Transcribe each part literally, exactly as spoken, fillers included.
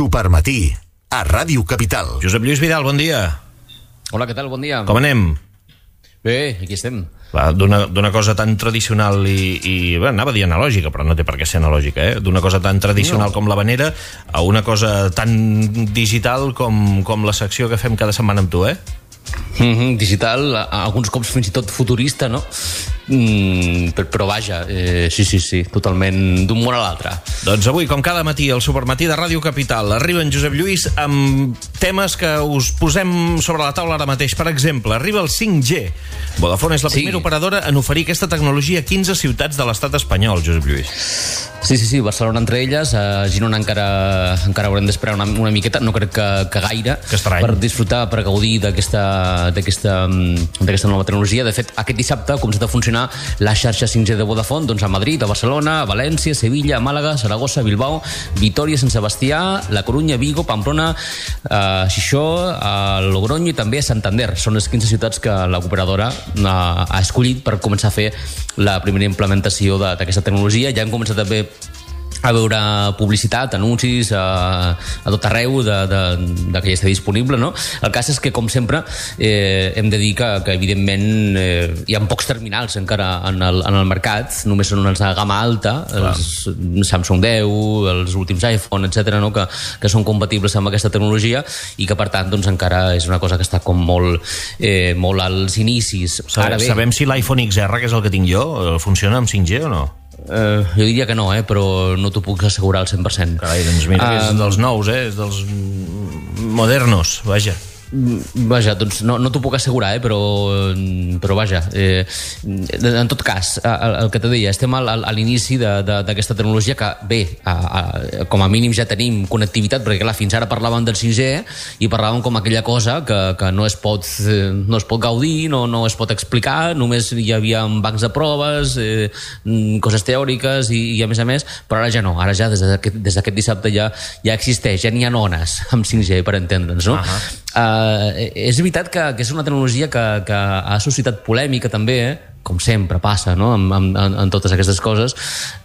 Supermatí, a Ràdio Capital. Josep Lluís Vidal, bon dia. Hola, què tal? Bon dia. Com anem? Bé, aquí estem. D'una cosa tan tradicional i, i bé, anava a dir analògica, però no té per què ser analògica, eh? D'una cosa tan tradicional no. com l'havanera a una cosa tan digital com, com la secció que fem cada setmana amb tu, eh? Mm-hmm, digital, alguns cops fins i tot futurista, no? Mm, però vaja, eh, sí, sí, sí, totalment d'un món a l'altre. Doncs avui, com cada matí, al Supermatí de Ràdio Capital, arriba en Josep Lluís amb temes que us posem sobre la taula ara mateix. Per exemple, arriba el cinc G. Vodafone és la primera sí. operadora en oferir aquesta tecnologia a quinze ciutats de l'estat espanyol, Josep Lluís. Sí, sí, sí, Barcelona entre elles, a Girona encara, encara haurem d'esperar una, una miqueta, no crec que, que gaire, que per disfrutar, per gaudir d'aquesta d'aquesta nova tecnologia. De fet, aquest dissabte ha començat a funcionar la xarxa cinc G de Vodafone, doncs a Madrid, a Barcelona, a València, a Sevilla, a Màlaga, a Saragossa, a Bilbao, Vitoria, Sant Sebastià, La Corunya, Vigo, Pamplona, a Xixó, a Logroño i també a Santander. Són les quinze ciutats que l'operadora ha, ha escollit per començar a fer la primera implementació d'aquesta tecnologia. Ja han començat a fer a veure publicitat, anuncis a, a tot arreu de, de, de que ja està disponible, no? El cas és que, com sempre, eh, hem de dir que, que evidentment, eh, hi ha pocs terminals encara en el, en el mercat, només són els de gamma alta, Clar. els Samsung deu, els últims iPhone, etcètera, no? que, que són compatibles amb aquesta tecnologia i que, per tant, doncs, encara és una cosa que està com molt, eh, molt als inicis. Ara bé, sabem si l'iPhone X R, que és el que tinc jo, funciona amb cinc G o no? Uh, jo diria que no, eh, però no t'ho puc assegurar al cent per cent. Carai, doncs mira que uh, és dels nous, eh, és dels modernos, vaja. Vaja, doncs no, no t'ho puc assegurar, eh, però, però vaja, eh, en tot cas, el, el que te deia, estem al, a l'inici d'aquesta tecnologia que, bé, a, a, com a mínim ja tenim connectivitat, perquè clar, fins ara parlàvem del cinc G i parlàvem com aquella cosa que, que no, es pot, no es pot gaudir, no, no es pot explicar, només hi havia bancs de proves, eh, coses teòriques i, i a més a més, però ara ja no, ara ja des d'aquest, des d'aquest dissabte ja, ja existeix, ja n'hi ha ones amb cinc G, per entendre'ns, no? Uh-huh. Uh, és veritat que, que és una tecnologia que, que ha suscitat polèmica també, eh? Com sempre passa, no? en, en, en totes aquestes coses.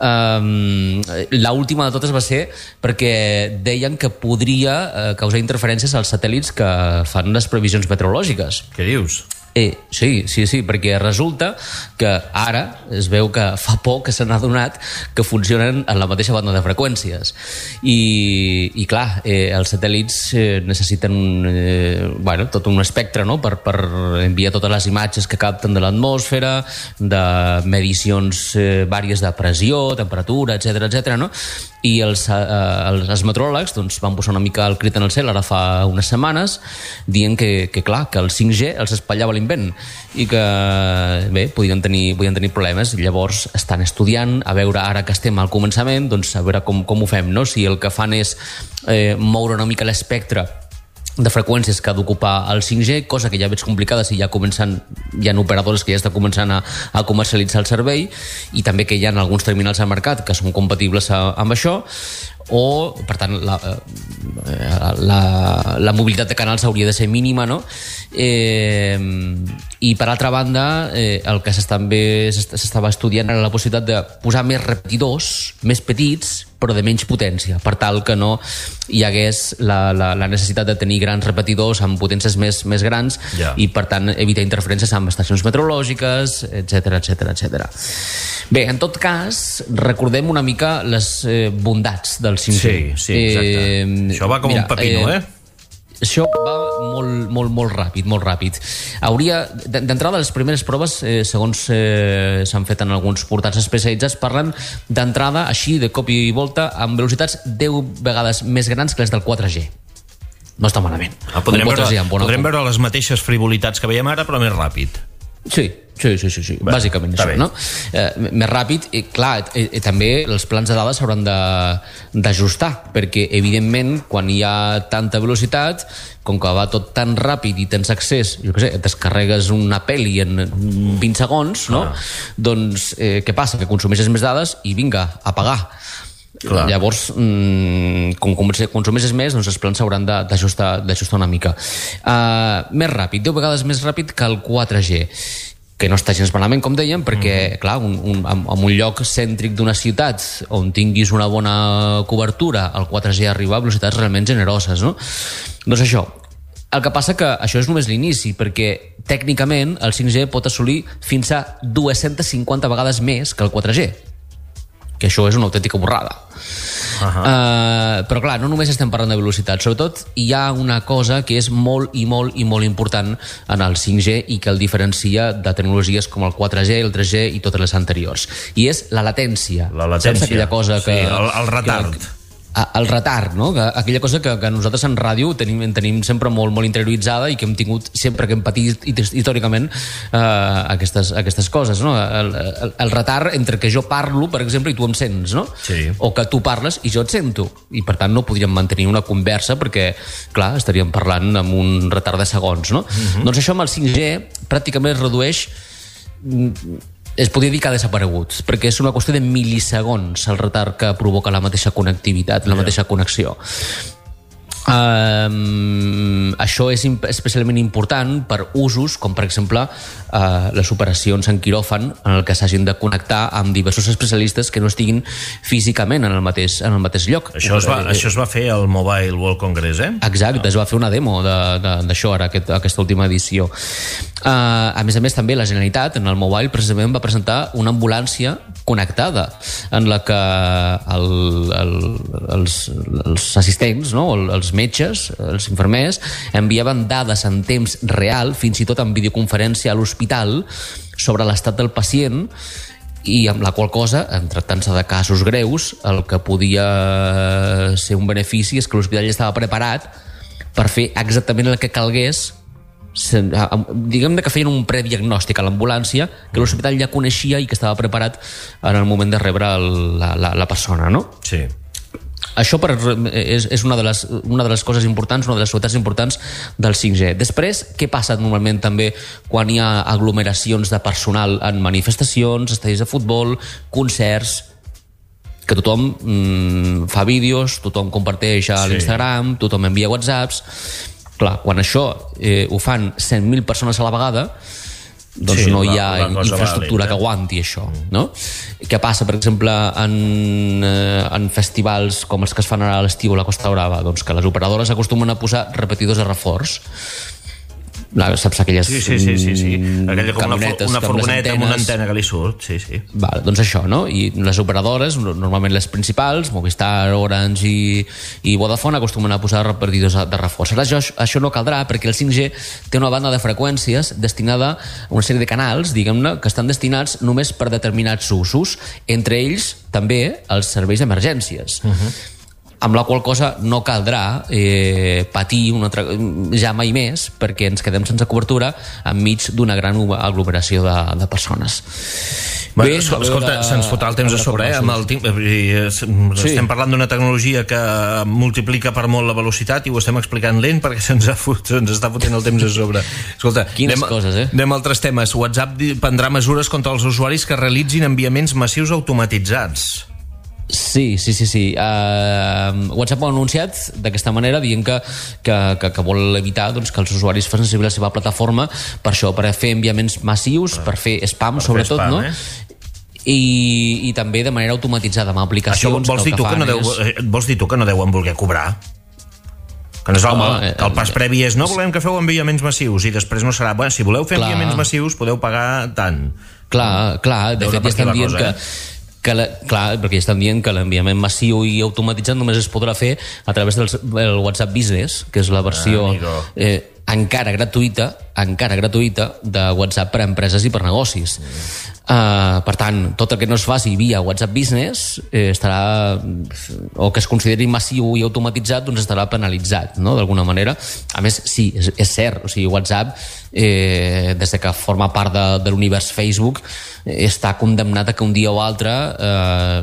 Um, l'última de totes va ser perquè deien que podria uh, causar interferències als satèl·lits que fan les previsions meteorològiques. Què dius? Eh, sí, sí, sí, perquè resulta que ara es veu que fa poc que se n'ha adonat que funcionen en la mateixa banda de freqüències. I, i clar, eh, els satèl·lits eh, necessiten eh, bueno, tot un espectre, no? per, per enviar totes les imatges que capten de l'atmosfera, de medicions eh, vàries de pressió, temperatura, etcètera, etcètera, no? I els, eh, els, els meteoròlegs doncs, van posar una mica el crit en el cel ara fa unes setmanes dient que, que clar, que el cinc G els espatllava l'invent i que, bé, podien tenir, podien tenir problemes. Llavors estan estudiant a veure, ara que estem al començament, doncs a veure com, com ho fem, no? Si el que fan és eh, moure una mica l'espectre de freqüències que ha d'ocupar el cinc G, cosa que ja veig complicada si ja comencen, hi ha operadores que ja estan començant a, a comercialitzar el servei i també que hi ha alguns terminals al mercat que són compatibles a, amb això, o, per tant, la, la, la mobilitat de canals hauria de ser mínima, no? Eh, i per altra banda, eh, el que també s'estava estudiant era la possibilitat de posar més repetidors, més petits, però de menys potència, per tal que no hi hagués la, la, la necessitat de tenir grans repetidors amb potències més, més grans yeah. i, per tant, evitar interferències amb estacions meteorològiques, etcètera, etcètera, etcètera. Bé, en tot cas, recordem una mica les eh, bondats del cinc G. Sí, sí, exacte. Eh, Això va com mira, un pepino, eh? eh? Això va molt, molt, molt ràpid, molt ràpid. Hauria, d'entrada, les primeres proves, eh, segons eh, s'han fet en alguns portals especialitzats, parlen d'entrada, així, de cop i volta, amb velocitats deu vegades més grans que les del quatre G. No està malament. Ah, podrem veure, podrem veure les mateixes frivolitats que veiem ara, però més ràpid. Sí, sí, sí, sí, sí. Bé, bàsicament això, bé. No? Eh, més ràpid, i clar, eh, eh, també els plans de dades s'hauran d'ajustar, perquè evidentment quan hi ha tanta velocitat, com que va tot tan ràpid i tens accés, jo què sé, descarregues una pel·li en vint segons, no? Ah. Doncs eh, què passa? Que consumeixes més dades i vinga, a pagar. Clar. Llavors, mmm, com consumeixes més, doncs els plans s'hauran d'ajustar d'ajustar una mica. Uh, més ràpid, deu vegades més ràpid que el quatre G. que no està gens malament, com dèiem, perquè, mm. clar, un, un, en un lloc cèntric d'una ciutat on tinguis una bona cobertura, el quatre G arriba a velocitats realment generoses, no? Doncs això. El que passa que això és només l'inici, perquè tècnicament el cinc G pot assolir fins a dues-centes cinquanta vegades més que el quatre G, que això és una autèntica borrada. Uh-huh. Uh, però clar, no només estem parlant de velocitat, sobretot hi ha una cosa que és molt i molt i molt important en el cinc G i que el diferencia de tecnologies com el quatre G, el tres G i totes les anteriors, i és la latència. La latència, aquella cosa que, sí, el, el retard que, el retard, no? Que, aquella cosa que, que nosaltres en ràdio tenim, tenim sempre molt, molt interioritzada i que hem tingut sempre que hem patit històricament eh, aquestes, aquestes coses, no? El, el, el retard entre que jo parlo, per exemple, i tu em sents, no? Sí. O que tu parles i jo et sento, i per tant no podríem mantenir una conversa perquè, clar, estaríem parlant amb un retard de segons, no? Uh-huh. Doncs això amb el cinc G pràcticament es redueix, es podria dir que ha desaparegut, perquè és una qüestió de mil·lisegons el retard que provoca la mateixa connectivitat, la mateixa connexió. Um, això és especialment important per usos com per exemple uh, les operacions en quiròfan en el que s'hagin de connectar amb diversos especialistes que no estiguin físicament en el mateix, en el mateix lloc. Això es, va, eh, això es va fer al Mobile World Congress, eh? Exacte, no. Es va fer una demo d'això ara, aquest, aquesta última edició. Uh, a més a més també la Generalitat en el Mobile precisament va presentar una ambulància connectada en la que el, el, els, els assistents, no? els metges, els infermers, enviaven dades en temps real, fins i tot en videoconferència a l'hospital, sobre l'estat del pacient, i amb la qual cosa, en tractant-se de casos greus, el que podia ser un benefici és que l'hospital ja estava preparat per fer exactament el que calgués, diguem que feien un prediagnòstic a l'ambulància que l'hospital ja coneixia i que estava preparat en el moment de rebre el, la, la, la persona, no? Sí. Això per, és, és una, de les, una de les coses importants, una de les novetats importants del cinc G. Després, què passa normalment també quan hi ha aglomeracions de personal en manifestacions, estadis de futbol, concerts, que tothom mm, fa vídeos, tothom comparteix a l'Instagram, sí. Tothom envia whatsapps. Clar, quan això eh, ho fan cent mil persones a la vegada, doncs sí, no hi ha infraestructura vàlid, eh? Que aguanti això, no? Què passa, per exemple, en, eh, en festivals com els que es fan ara a l'estiu a la Costa Brava? Doncs que les operadores acostumen a posar repetidors de reforç. Saps aquelles sí, sí, sí, sí, sí. Aquella com una, una furgoneta amb una antena que li surt, sí, sí. Val, doncs això, no? I les operadores, normalment les principals, Movistar, Orange i, i Vodafone, acostumen a posar repartidors de reforç. Ara això, això no caldrà perquè el cinc G té una banda de freqüències destinada a una sèrie de canals, diguem-ne, que estan destinats només per determinats usos, entre ells també els serveis d'emergències. Uh-huh. Amb la qual cosa no caldrà eh, patir una altra, ja mai més perquè ens quedem sense cobertura enmig d'una gran aglomeració de, de persones. Bé, Bé escolta, de, se'ns fotrà el temps a sobre, eh? Amb el tim... sí. Estem parlant d'una tecnologia que multiplica per molt la velocitat i ho estem explicant lent perquè se'ns, fot, se'ns està fotent el temps a sobre. Escolta, quines anem, coses, eh? Anem a altres temes. WhatsApp prendrà mesures contra els usuaris que realitzin enviaments massius automatitzats. Sí, sí, sí, sí. Uh, WhatsApp ho ha anunciat d'aquesta manera, dient que, que, que, que vol evitar doncs, que els usuaris facin servir la seva plataforma per això, per fer enviaments massius, per fer spam, per sobretot, fer spam, no? Eh? I, i també de manera automatitzada, amb aplicacions. Això vols, que dir tu que no deu, és... vols dir tu que no deuen voler cobrar? Que, no és el, Home, que el pas previ és no volem que feu enviaments massius i després no serà, bueno, si voleu fer clar. enviaments massius podeu pagar tant. Clar, clar, de fet ja estan dient cosa, que... Eh? Que la, clar, perquè estan dient que l'enviament massiu i automatitzat només es podrà fer a través del, del WhatsApp Business, que és la versió ah, eh, encara gratuïta encara gratuïta de WhatsApp per a empreses i per negocis. Mm. Uh, per tant, tot el que no es faci via WhatsApp Business eh, estarà, o que es consideri massiu i automatitzat, doncs estarà penalitzat, no?, d'alguna manera. A més, sí, és, és cert, o sigui, WhatsApp eh, des de que forma part de, de l'univers Facebook eh, està condemnat a que un dia o altre eh,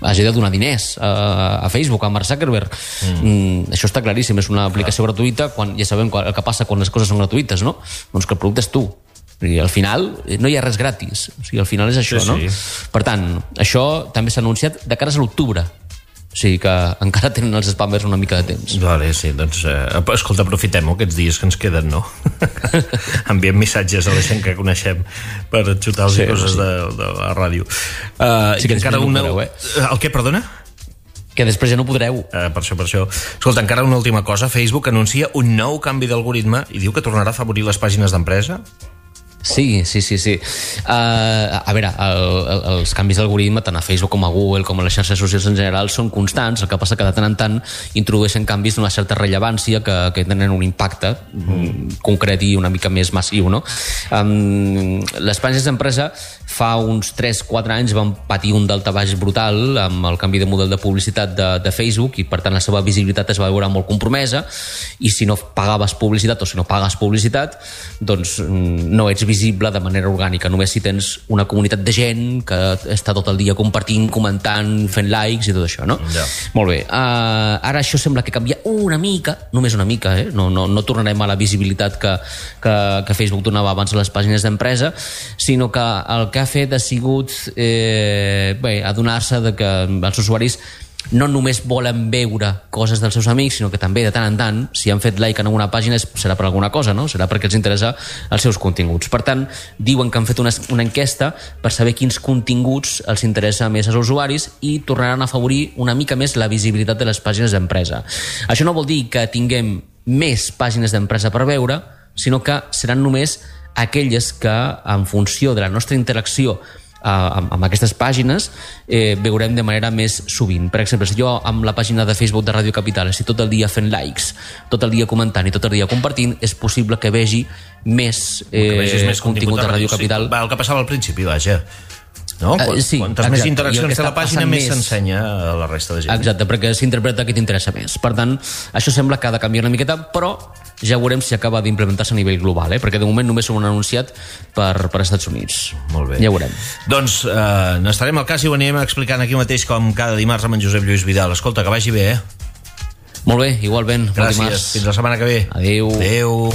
hagi de donar diners a, a Facebook, a Mark Zuckerberg. Mm. Mm, això està claríssim, és una aplicació ah. gratuïta, quan ja sabem el que passa quan les coses són gratuïtes, no? Doncs que el producte és tu. I al final no hi ha res gratis, o sigui, al final és això, sí, no? Sí. Per tant, això també s'ha anunciat de cares a l'octubre. O O sigui que encara tenen els spammers una mica de temps. Vale, sí, doncs, eh, escolta, aprofitem-ho aquests dies que ens queden, no? Enviem missatges a la gent que coneixem per xutar-los sí, coses sí. de, de la ràdio. Uh, sí que encara una... podreu, eh? El què, perdona? Que després ja no podreu. Uh, per això, per això. Escolta, encara una última cosa. Facebook anuncia un nou canvi d'algoritme i diu que tornarà a afavorir les pàgines d'empresa. Sí, sí, sí, sí. Uh, a veure, el, el, els canvis d'algoritme tant a Facebook com a Google com a les xarxes socials en general són constants, el que passa que de tant en tant introdueixen canvis d'una certa rellevància que, que tenen un impacte mm. concret i una mica més massiu, no? Um, les pàgines d'empresa fa uns tres quatre anys van patir un daltabaix brutal amb el canvi de model de publicitat de, de Facebook i per tant la seva visibilitat es va veure molt compromesa i si no pagaves publicitat o si no pagues publicitat doncs no ets visible de manera orgànica, només si tens una comunitat de gent que està tot el dia compartint, comentant, fent likes i tot això, no? Ja. Molt bé. Uh, ara això sembla que canvia una mica, només una mica, eh? No, no, no tornarem a la visibilitat que, que, que Facebook donava abans a les pàgines d'empresa, sinó que el que ha fet ha sigut eh, bé, adonar-se de que els usuaris no només volen veure coses dels seus amics, sinó que també de tant en tant, si han fet like en alguna pàgina serà per alguna cosa, no? Serà perquè els interessa els seus continguts. Per tant, diuen que han fet una, una enquesta per saber quins continguts els interessa més als usuaris i tornaran a afavorir una mica més la visibilitat de les pàgines d'empresa. Això no vol dir que tinguem més pàgines d'empresa per veure, sinó que seran només aquelles que, en funció de la nostra interacció amb, amb aquestes pàgines eh, veurem de manera més sovint. Per exemple, si jo amb la pàgina de Facebook de Ràdio Capital estic tot el dia fent likes, tot el dia comentant i tot el dia compartint, és possible que vegi més, eh, més contingut de Ràdio Capital. Sí, el que passava al principi, vaja. No? Uh, sí, Quantes exacte. més interaccions té la pàgina, més s'ensenya a la resta de gent. Exacte, perquè s'interpreta que t'interessa més. Per tant, això sembla que ha de canviar una miqueta, però ja veurem si acaba d'implementar-se a nivell global, eh? Perquè de moment només ho han anunciat per, per Estats Units. Molt bé. Ja veurem. Doncs eh, n'estarem al cas i ho anirem explicant aquí mateix com cada dimarts amb en Josep Lluís Vidal. Escolta, que vagi bé, eh? Molt bé, igualment. Gràcies. Fins la setmana que ve. Adéu. Adéu.